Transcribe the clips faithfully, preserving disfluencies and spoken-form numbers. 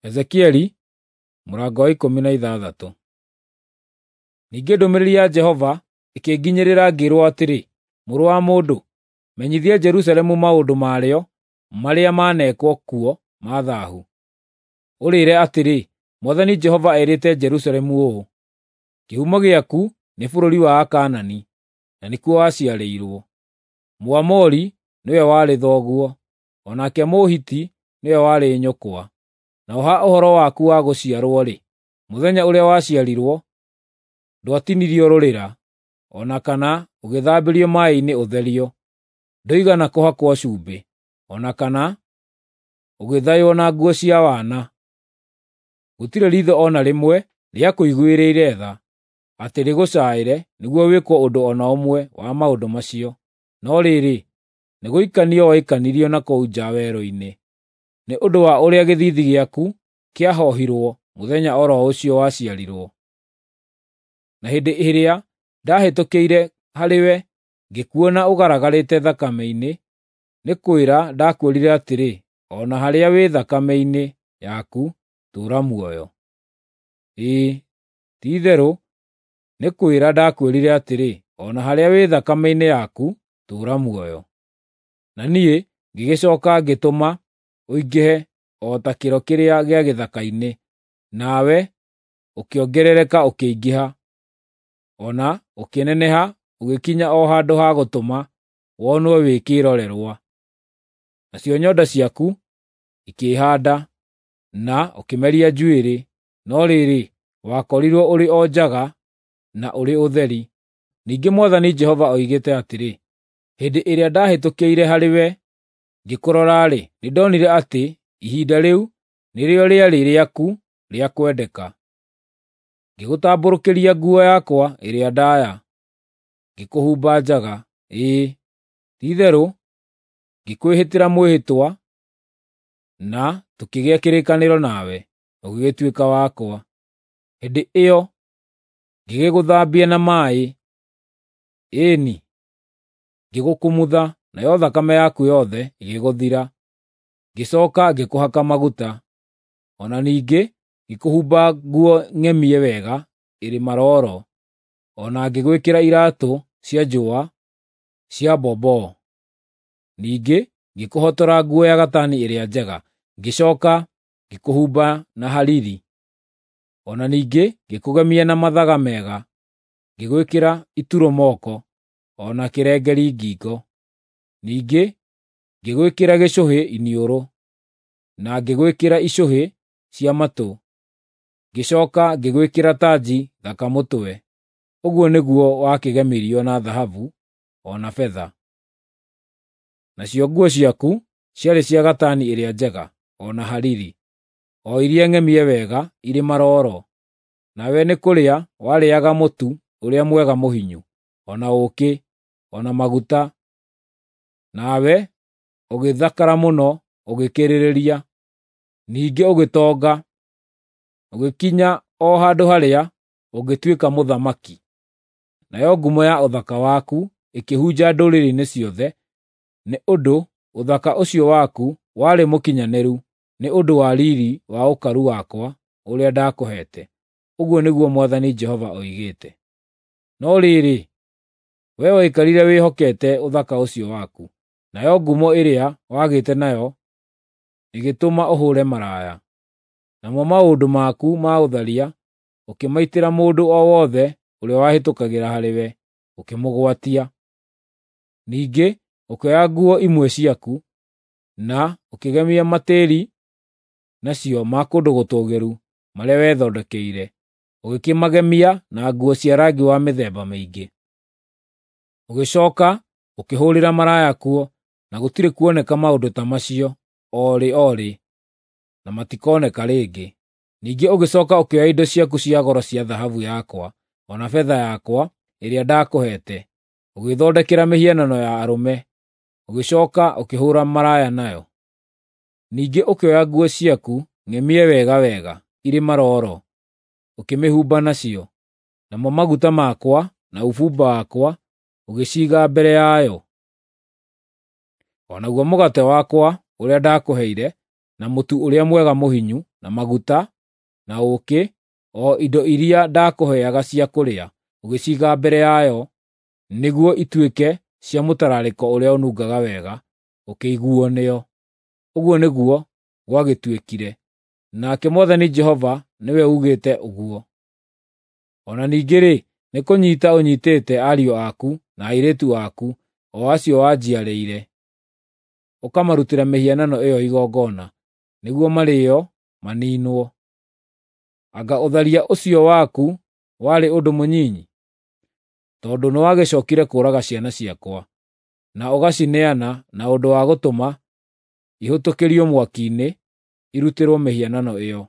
Ezekieli mũrango wa ikũmi na ithathatũ. Ningĩ ndũmĩrĩri ya Jehova ĩkĩnginyĩrĩra ngĩĩrwo atĩrĩ, Mũrũ wa mũndũ, menyithia Jerusalemu maũndũ marĩo marĩa maneekwo kuo ma thaahu. Ũrĩĩre atĩrĩ, Mwathani Jehova erĩte Jerusalemu ũũ: Kĩhumo gĩaku nĩ bũrũri wa Akaanani, na nĩkuo waciarĩirwo. Mũamori nĩwe warĩ thoguo, o nake Mũhiti nĩwe warĩ nyũkwa. Naho ha ũhoro waku wa gũciarwo-rĩ, mũthenya ũrĩa waciarirwo, ndwatinirio rũrĩra, o na kana ũgĩthambĩrio maaĩ-inĩ ũtherio. Ndũigana kũhakwo cumbĩ, o na kana ũgĩthaywo na nguo cia wana. Gũtirĩ riitho o na rĩmwe rĩakũiguĩrĩire tha, atĩ rĩgũcaaĩre nĩguo wĩkwo ũndũ o na ũmwe wa maũndũ macio. No rĩrĩ, nĩgũikanio waikanirio na kũu nja werũ-inĩ, nĩ ũndũ wa ũrĩa gĩthiithi gĩaku kĩahoohirwo mũthenya o ro ũcio waciarirwo. Na hĩndĩ ĩrĩa ndaahĩtũkĩire harĩwe ngĩkuona ũgaragarĩte thakame-inĩ, nĩ kwĩra ndakwĩrire atĩrĩ, o na harĩa wĩ thakame-inĩ yaku, tũũra muoyo. Ĩĩ, ti-itherũ nĩ kwĩra ndakwĩrire atĩrĩ, o na harĩa wĩ thakame-inĩ yaku, tũũra muoyo. Na niĩ ngĩgĩcooka ngĩtũma ũingĩhe o ta kĩro kĩrĩa gĩa gĩthaka-inĩ, nawe ũkĩongerereka ũkĩingĩha, o na ũkĩneneha ũgĩkinya o handũ ha gũtũma wonwo wĩ kĩĩrorerwa. Nacio nyonda ciaku ikĩĩhaanda, na ũkĩmeria njuĩrĩ, no rĩrĩ, wakorirwo ũrĩ o njaga na ũrĩ ũtheri. Ningĩ Mwathani Jehova oigĩte atĩrĩ, hĩndĩ ĩrĩa ndaahĩtũkĩire harĩwe ngĩkũrora-rĩ, nĩndonire atĩ ihinda rĩu nĩrĩo rĩarĩ rĩaku rĩa kwendeka. Ngĩgũtambũrũkĩria nguo yakwa ĩrĩa ndaaya, ngĩkũhumba njaga, ĩĩ, ti-itherũ ngĩkwĩhĩtĩra mwĩhĩtwa, na tũkĩgĩa kĩrĩkanĩro nawe, ũgĩgĩtuĩka wakwa. Hĩndĩ ĩyo ngĩgĩgũthambia na maaĩ, ĩĩ-ni, ngĩgũkumutha, nayo thakame yaku yothe ĩgĩgũthira. Ngĩcooka ngĩkũhaka maguta, o na ningĩ ngĩkũhumba nguo ng'emie wega ĩrĩ marooro, o na ngĩgwĩkĩra iraatũ cia njũa cia mbomboo. Ningĩ ngĩkũhotora nguo ya gatani ĩrĩa njega, ngĩcooka ngĩkũhumba na hariri. O na ningĩ ngĩkũgemia na mathaga mega, ngĩgwĩkĩra ituro moko, o na kĩrengeri ngingo. Ningĩ ngĩgwĩkĩra gĩcũhĩ iniũrũ, na ngĩgwĩkĩra icũhĩ cia matũ, ngĩcooka ngĩgwĩkĩra tanji thaka mũtwe. Ũguo nĩguo wakĩgemirio na thahabu o na betha. Nacio nguo ciaku ciarĩ cia gatani ĩrĩa njega o na hariri, o iria ng'emie wega irĩ marooro. Nawe nĩ kũrĩa warĩĩaga mũtu ũrĩa mwega mũhinyu, o na ũũkĩ, o na maguta. Nawe ũgĩthakara mũno ũgĩkĩrĩrĩria. Ningĩ ũgĩtonga, ũgĩkinya o handũ harĩa ũngĩtuĩka mũthamaki. Nayo ngumo ya ũthaka waku ĩkĩhunja ndũrĩrĩ-inĩ ciothe, nĩ ũndũ ũthaka ũcio waku warĩ mũkinyanĩru nĩ ũndũ wa riiri wa ũkaru wakwa ũrĩa ndaakũheete. Ũguo nĩguo Mwathani Jehova oigĩte. No rĩrĩ, wee waikarire wĩhokete ũthaka ũcio waku, nayo ngumo ĩrĩa wagĩte nayo ĩgĩtũma ũhũũre maraya. Namo maũndũ maku ma ũtharia ũkĩmaitĩra mũndũ o wothe ũrĩa wahĩtũkagĩra harĩwe, ũkĩmũgwatia. Ningĩ ũkĩoya nguo imwe ciaku, na ũkĩgemia matĩĩri nacio ma kũndũ gũtũũgĩru marĩa wethondekeire, ũgĩkĩmagemia na nguo cia rangi wa mĩthemba mĩingĩ. Ũgĩcooka ũkĩhũũrĩra maraya kuo, na gũtirĩ kuoneka maũndũ ta macio o rĩ o rĩ, na matikoneka rĩngĩ. Ningĩ ũgĩcooka ũkĩoya indo ciaku cia goro cia thahabu yakwa, o na betha yakwa ĩrĩa ndaakũheete, ũgĩĩthondekera mĩhianano ya arũme, ũgĩcooka ũkĩhũũra maraya nayo. Ningĩ ũkĩoya nguo ciaku ng'emie wega wega irĩ marooro, ũkĩmĩhumba nacio, namo maguta makwa na ũbumba wakwa ũgĩciiga mbere yayo. O naguo mũgate wakwa ũrĩa ndaakũheire, na mũtu ũrĩa mwega mũhinyu, na maguta, na ũũkĩ, o indo iria ndakũheaga cia kũrĩa, ũgĩciiga mbere yayo nĩguo ituĩke cia mũtararĩko ũrĩa ũnungaga wega, ũkĩiguuo nĩo. Ũguo nĩguo gwagĩtuĩkire, nake Mwathani Jehova nĩwe ugĩte ũguo. O na ningĩ-rĩ, nĩkũnyiita ũnyiitĩte ariũ aku na airĩtu aku, o acio wanjiarĩire, ũkamarutĩra mĩhianano ĩyo igongona, nĩguo marĩĩo maniinwo. Anga ũtharia ũcio waku warĩ ũndũ mũnyinyi? Tondũ nĩwagĩcookire kũũraga ciana ciakwa, na ũgacineana na ũndũ wa gũtũma ihũtũkĩrio mwaki-inĩ irutĩrwo mĩhianano ĩyo.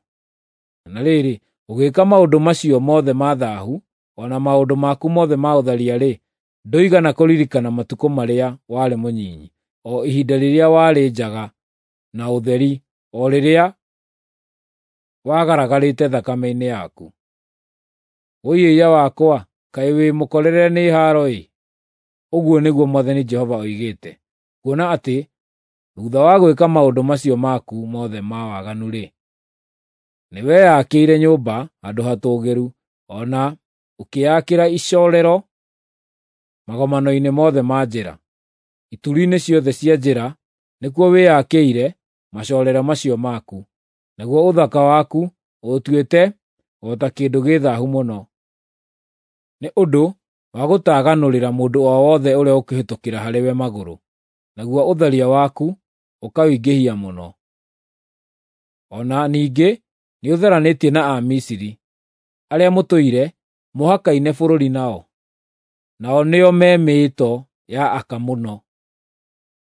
Na rĩrĩ, ũgĩĩka maũndũ macio mothe ma thaahu, o na maũndũ maku mothe ma ũtharia-rĩ, ndũigana kũririkana matukũ marĩa warĩ mũnyinyi, o ihinda rĩrĩa warĩ njaga na ũtheri, o rĩrĩa wagaragarĩte thakame-inĩ yaku. Wũi-ĩiya wakwa, kaĩ wĩ mũkorere nĩ haaro-ĩ! Ũguo nĩguo Mwathani Jehova oigĩte. Kuona atĩ thuutha wa gwĩka maũndũ macio maku mothe ma waganu-rĩ, nĩweyakĩire nyũmba handũ hatũũgĩru, o na ũkĩĩakĩra icoorero magomano-inĩ mothe ma njĩra. Ituri-inĩ ciothe cia njĩra nĩkuo wĩyakĩire macoorero macio maku, naguo ũthaka waku ũũtuĩte o ta kĩndũ gĩ thaahu mũno, nĩ ũndũ wa gũtaganũrĩra mũndũ o wothe ũrĩa ũkũhĩtũkĩra harĩwe magũrũ, naguo ũtharia waku ũkawĩingĩhia mũno. O na ningĩ nĩũtharanĩtie na Amisiri, arĩa mũtũire mũhakaine bũrũri nao, nao nĩo me mĩĩto ya aka mũno.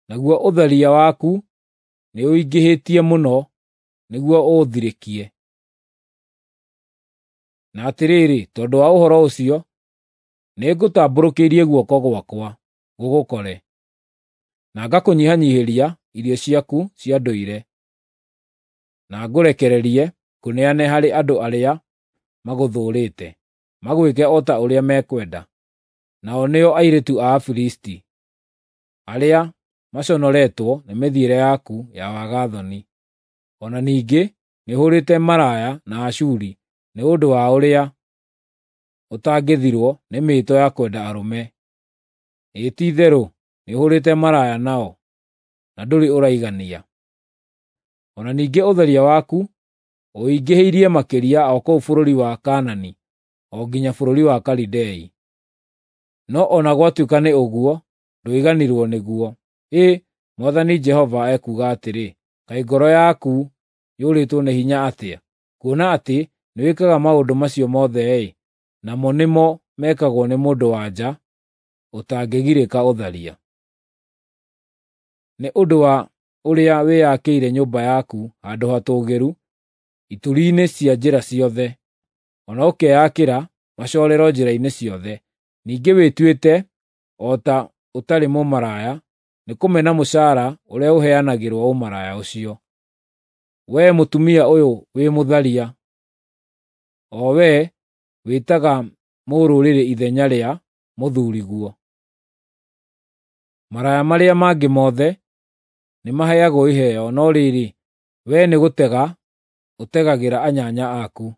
Naguo ũtharia waku nĩũingĩhĩtie mũno nĩguo ũũthirĩkie. Na atĩrĩrĩ, tondũ wa ũhoro ũcio, nĩngũtambũrũkĩirie guoko gwakwa gũgũkore, na ngakũnyihanyiihĩria irio ciaku cia ndũire, na ngũrekererie ngũneane harĩ andũ arĩa magũthũũrĩte, magwĩke o ta ũrĩa mekwenda, nao nĩo airĩtu a Afilisti, arĩa maconoretwo nĩ mĩthiĩre yaku ya waga-thoni. O na ningĩ nĩũhũũrĩte maraya na Ashuri nĩ ũndũ wa ũrĩa ũtangĩthirwo nĩ mĩĩto ya kwenda arũme. Ĩĩ ti-itherũ nĩũhũũrĩte maraya nao, na ndũrĩ ũraigania. O na ningĩ ũtharia waku ũingĩhĩirie makĩria o kũu bũrũri wa Kaanani, o nginya bũrũri wa Kalidei. No o na gwatuĩka nĩ ũguo, ndũiganirwo nĩguo. Ĩ, Mwathani Jehova ekuuga atĩrĩ, kaĩ ngoro yaku yũrĩtwo nĩ hinya atĩa, kuona atĩ nĩwĩkaga maũndũ macio mothe-ĩ, namo nĩmo mekagwo nĩ mũndũ-wa-nja ũtangĩgirĩka ũtharia. Nĩ ũndũ wa ũrĩa wĩyakĩire nyũmba yaku handũ hatũũgĩru ituri-inĩ cia njĩra ciothe, o na ũkeyakĩra macoorero njĩra-inĩ ciothe, ningĩ wĩtuĩte o ta ũtarĩ mũmaraya nĩkũmena mũcaara ũrĩa ũheanagĩrwo ũmaraya ũcio. Wee mũtumia ũyũ wĩ mũtharia, o wee wĩtaga mũrũrĩrĩ ithenya rĩa mũthuuriguo. Maraya marĩa mangĩ mothe nĩmaheagwo iheo, no rĩrĩ, wee nĩgũtega ũtegagĩra anyanya aku,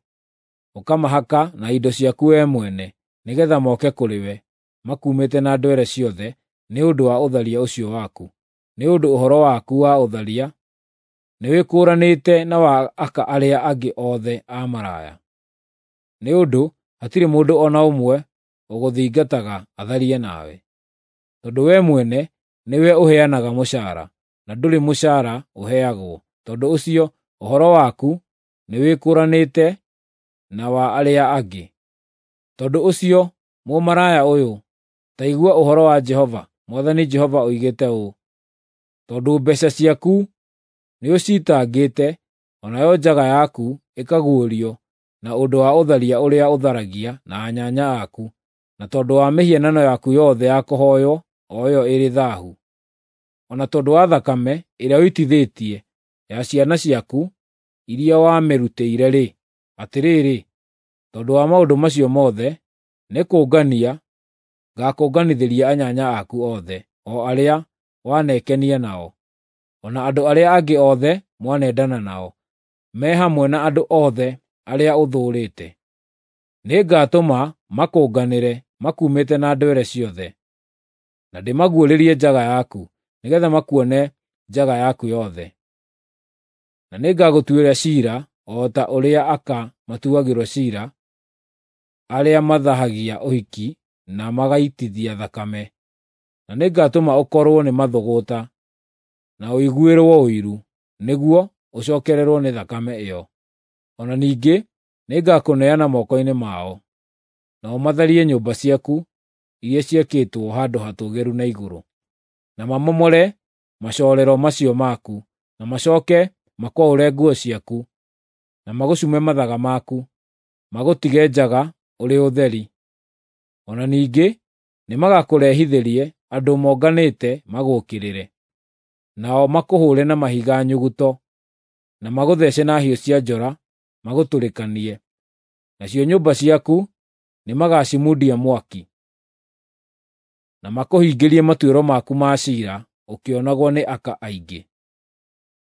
ũkamahaka na indo ciaku wee mwene, nĩgeetha moke kũrĩ we makuumĩte na ndwere ciothe nĩ ũndũ wa ũtharia ũcio waku. Nĩ ũndũ ũhoro waku wa ũtharia nĩwĩkũũranĩte na wa aka arĩa angĩ othe a maraya. Nĩ ũndũ hatirĩ mũndũ o na ũmwe ũgũthingataga atharie nawe, tondũ wee mwene nĩwe ũheanaga mũcaara, na ndũrĩ mũcaara ũheagwo. Tondũ ũcio ũhoro waku nĩwĩkũũranĩte na wa arĩa angĩ. Tondũ ũcio, mũmaraya ũyũ, ta igua ũhoro wa Jehova. Mwathani Jehova oigĩte ũũ: tondũ mbeeca ciaku nĩũciitangĩte, o nayo njaga yaku ĩkaguũrio na ũndũ wa ũtharia ũrĩa ũtharagia na anyanya aku, na tondũ wa mĩhianano yaku yothe ya kũhooywo o ĩyo ĩrĩ thaahu, o na tondũ wa thakame ĩrĩa ũitithĩtie ya ciana ciaku iria wamĩrutĩire-rĩ, atĩrĩrĩ, tondũ wa maũndũ macio mothe, nĩkũngania ngaakũnganithĩria anyanya aku othe, o arĩa wanekenia nao, o na andũ arĩa angĩ othe mwanendana nao. me hamwe na andũ othe arĩa ũthũũrĩte. Nĩngatũma makũnganĩre makuumĩte na ndwere ciothe, na ndĩmaguũrĩrie njaga yaku, nĩgeetha makuone njaga yaku yothe. Na nĩngagũtuĩra ciira o ta ũrĩa aka matuagĩrwo ciira arĩa mathaahagia ũhiki na magaitithia thakame. Na nĩngatũma ũkorwo nĩ mathũgũta, na ũiguĩrwo ũiru, nĩguo ũcookererwo nĩ thakame ĩyo. O na ningĩ nĩngakũneana moko-inĩ mao, nao matharie nyũmba ciaku iria ciakĩtwo handũ hatũũgĩru na igũrũ, na mamomore macoorero macio maku, na macooke makwaũre nguo ciaku, na magũcume mathaga maku, magũtige njaga ũrĩ ũtheri. O na ningĩ nĩmagakũrehithĩrie andũ monganĩte magũũkĩrĩre, nao makũhũũre na mahiga nyuguto, na magũthece na hiũ cia njora magũtũrĩkanie. Nacio nyũmba ciaku nĩmagacimundia mwaki, na makũhingĩrie matuĩro maku ma ciira ũkĩonagwo nĩ aka aingĩ.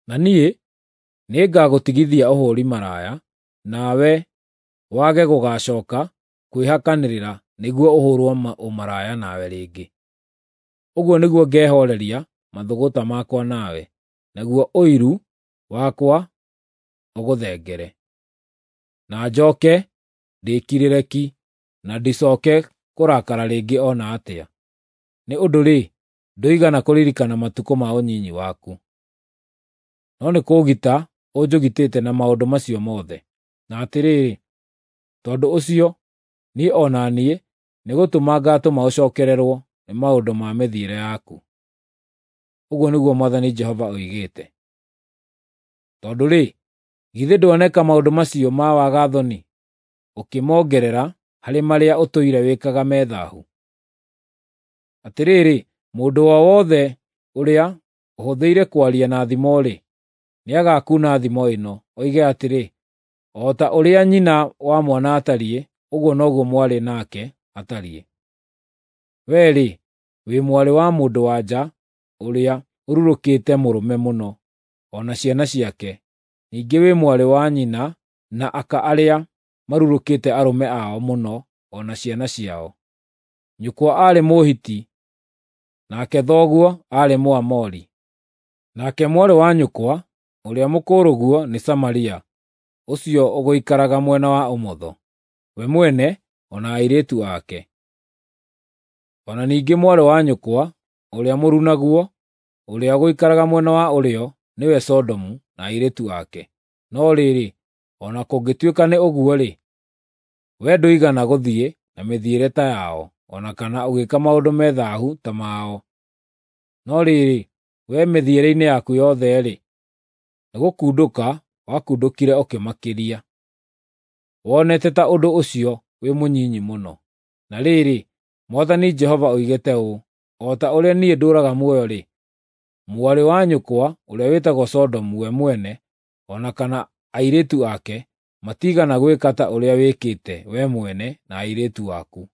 Na niĩ nĩngagũtigithia ũhũũri maraya, nawe wage gũgaacooka kwĩhakanĩrĩra nĩguo ũhũũrwo ũmaraya nawe rĩngĩ. Ũguo nĩguo ngehooreria mathũgũta makwa nawe, naguo ũiru wakwa ũgũthengere. Na njooke ndĩĩkirĩre ki, na ndicooke kũrakara rĩngĩ o na atĩa. Nĩ ũndũ-rĩ, ndũigana kũririkana matukũ ma ũnyinyi waku, no nĩkũũgita ũnjũgitĩte na maũndũ macio mothe. Na atĩrĩrĩ, tondũ ũcio niĩ o na niĩ nĩgũtũma ngaatũma ũcookererwo nĩ maũndũ ma mĩthiĩre yaku. Ũguo nĩguo Mwathani Jehova oigĩte. Tondũ-rĩ, githĩ ndwaneka maũndũ macio ma waga-thoni ũkĩmongerera harĩ marĩa ũtũire wĩkaga me thaahu? Atĩrĩrĩ, mũndũ o wothe ũrĩa ũhũthĩire kwaria na thimo-rĩ, nĩagakuuna thimo ĩno, oige atĩrĩ, ‘O ta ũrĩa nyina wa mwana atariĩ, ũguo noguo mwarĩ nake atariĩ.’ Wee-rĩ, wĩ mwarĩ wa mũndũ-wa-nja ũrĩa ũrurũkĩte mũrũme mũno, o na ciana ciake; ningĩ wĩ mwarĩ wa nyina na aka arĩa marurũkĩte arũme ao mũno o na ciana ciao. Nyũkwa aarĩ Mũhiti, nake thoguo aarĩ Mũamori. Nake mwarĩ wa nyũkwa ũrĩa mũkũrũguo nĩ Samaria, ũcio ũgũikaraga mwena wa ũmotho, we mwene o na airĩtu ake. O na ningĩ mwarĩ wa nyũkwa ũrĩa mũrunaguo, ũrĩa ũgũikaraga mwena wa ũrĩo, nĩwe Sodomu na airĩtu ake. No rĩrĩ, o na kũngĩtuĩka nĩ ũguo-rĩ, wee ndũigana gũthiĩ na mĩthiĩre ta yao, o na kana ũgĩĩka maũndũ me thaahu ta mao. No rĩrĩ, wee mĩthiĩre-inĩ yaku yothe-rĩ, nĩgũkundũka wakundũkire ũkĩmakĩria. Wonete ta ũndũ ũcio wĩ mũnyinyi mũno. Na rĩrĩ, Mwathani Jehova oigĩte ũũ: O ta ũrĩa niĩ ndũũraga muoyo-rĩ, mwarĩ wa nyũkwa ũrĩa wĩtagwo Sodomu we mwene, o na kana airĩtu ake, matiigana gwĩka ta ũrĩa wĩkĩte wee mwene na airĩtu aku.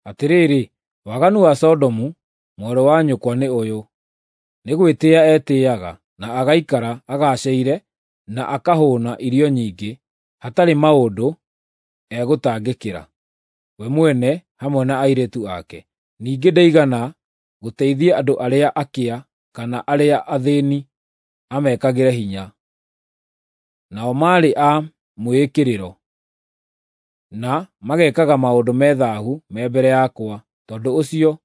Atĩrĩrĩ, waganu wa Sodomu mwarĩ wa nyũkwa nĩ ũyũ: nĩ gwĩtĩĩa etĩĩaga, na agaikara agaacĩire, na akahũũna irio nyingĩ, hatarĩ maũndũ egũtangĩkĩra, we mwene hamwe na airĩtu ake. Ningĩ ndaigana gũteithia andũ arĩa akĩa kana arĩa athĩĩni amekagĩre hinya. Nao maarĩ a mwĩĩkĩrĩro, na magekaga maũndũ me thaahu me mbere yakwa. Tondũ ũcio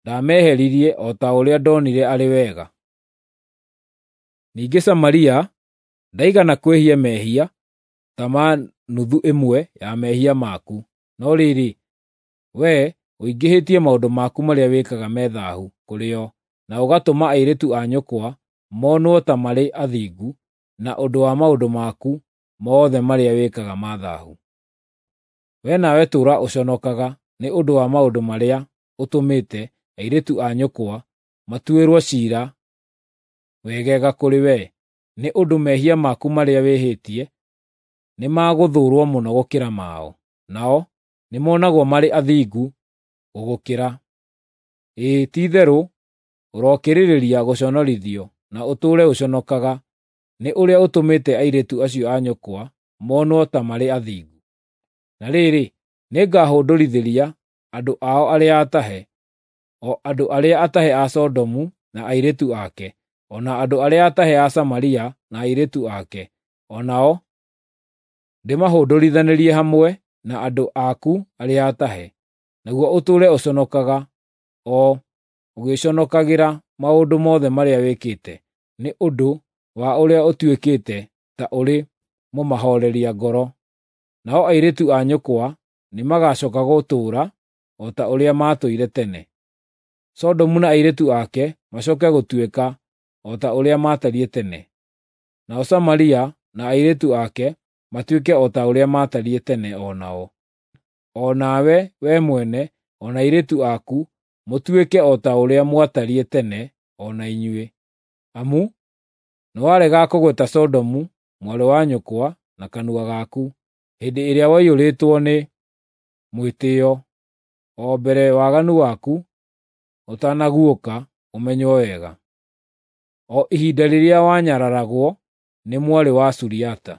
ndaameheririe o ta ũrĩa ndonire arĩ wega. Ningĩ Samaria ndaigana kwĩhia mehia ta ma nuthu ĩmwe ya mehia maku. No rĩrĩ, wee ũingĩhĩtie maũndũ maku marĩa wĩkaga me thaahu kũrĩ o, na ũgatũma airĩtu a nyũkwa monwo ta marĩ athingu na ũndũ wa maũndũ maku mothe marĩa wĩkaga ma thaahu. Wee nawe tũũra ũconokaga nĩ ũndũ wa maũndũ marĩa ũtũmĩte airĩtu a nyũkwa matuĩrwo ciira wegega kũrĩ wee, nĩ ũndũ mehia maku marĩa wĩhĩtie nĩmagũthũũrwo mũno gũkĩra mao, nao nĩmonagwo marĩ athingu gũgũkĩra. Ĩĩ, ti-itherũ ũrokĩrĩrĩria gũconorithio na ũtũũre ũconokaga nĩ ũrĩa ũtũmĩte airĩtu acio a nyũkwa monwo ta marĩ athingu. Na rĩrĩ, nĩngahũndũrithĩria andũ ao arĩa atahe, o andũ arĩa atahe a Sodomu na airĩtu ake, o na andũ arĩa atahe a Samaria na airĩtu ake, o nao ndĩmahũndũrithanĩrie hamwe na andũ aku arĩa atahe, naguo ũtũũre ũconokaga, o ũgĩĩconokagĩra maũndũ mothe marĩa wĩkĩte, nĩ ũndũ wa ũrĩa ũtuĩkĩte ta ũrĩ mũmahooreria ngoro. Nao airĩtu a nyũkwa nĩmagacooka gũtũũra o ta ũrĩa maatũire tene. Sodomu na airĩtu ake macooke gũtuĩka o ta ũrĩa maatariĩ tene, nao Samaria na airĩtu ake matuĩke o ta ũrĩa maatariĩ tene o nao. O nawe wee mwene o na airĩtu aku mũtuĩke o ta ũrĩa mwatariĩ tene o na inyuĩ. Amu nĩwaregaga kũgweta Sodomu mwarĩ wa nyũkwa na kanua gaku hĩndĩ ĩrĩa waiyũrĩtwo nĩ mwĩtĩĩo, o mbere waganu waku ũtanaguũka ũmenywo wega, o ihinda rĩrĩa wanyararagwo nĩ mwarĩ wa Suriata,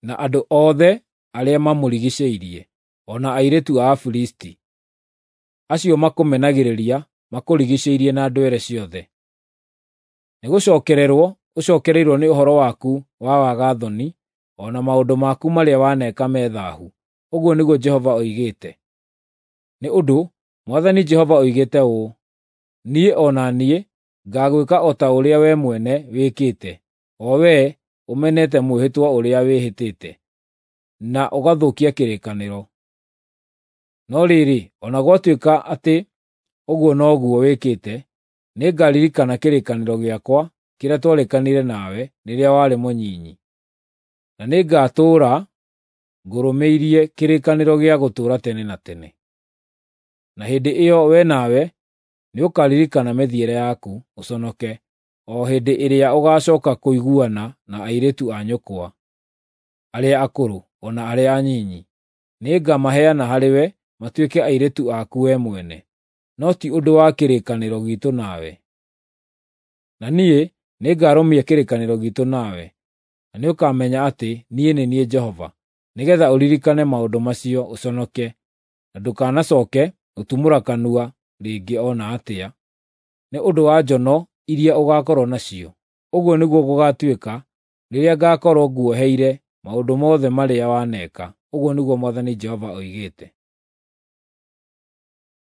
na andũ othe arĩa mamũrigiicĩirie, o na airĩtu a Afilisti, acio makũmenagĩrĩria makũrigiicĩirie na ndwere ciothe. Nĩgũcookererwo ũcookereirwo nĩ ũhoro waku wa waga-thoni, o na maũndũ maku marĩa waneka me thaahu, ũguo nĩguo Jehova oigĩte. Nĩ ũndũ Mwathani Jehova oigĩte ũũ: Niĩ o na niĩ ngaagwĩka o ta ũrĩa wee mwene wĩkĩte, o wee ũmenete mwĩhĩtwa ũrĩa wĩhĩtĩte, na ũgathũkia kĩrĩkanĩro. No rĩrĩ, o na gwatuĩka atĩ ũguo noguo wĩkĩte, nĩngaririkana kĩrĩkanĩro gĩakwa kĩrĩa twarĩkanĩire nawe rĩrĩa warĩ mũnyinyi, na nĩngatũũra ngũrũmĩirie kĩrĩkanĩro gĩa gũtũũra tene na tene. Na hĩndĩ ĩyo wee nawe nĩũkaririkana mĩthiĩre yaku, ũconoke, o hĩndĩ ĩrĩa ũgaacooka kũiguana na airĩtu a nyũkwa, arĩa akũrũ o na arĩa anyinyi. Nĩngamaheana harĩwe matuĩke airĩtu aku wee mwene, no ti ũndũ wa kĩrĩkanĩro giitũ nawe. Na niĩ nĩngarũmia kĩrĩkanĩro giitũ nawe, na nĩũkamenya atĩ niĩ nĩ niĩ Jehova, nĩgeetha ũririkane maũndũ macio ũconoke, na ndũkanacooke gũtumũra kanua rĩngĩ o na atĩa, nĩ ũndũ wa njono iria ũgaakorwo nacio. Ũguo nĩguo gũgaatuĩka rĩrĩa ngaakorwo nguoheire maũndũ mothe marĩa waneka, ũguo nĩguo Mwathani Jehova oigĩte.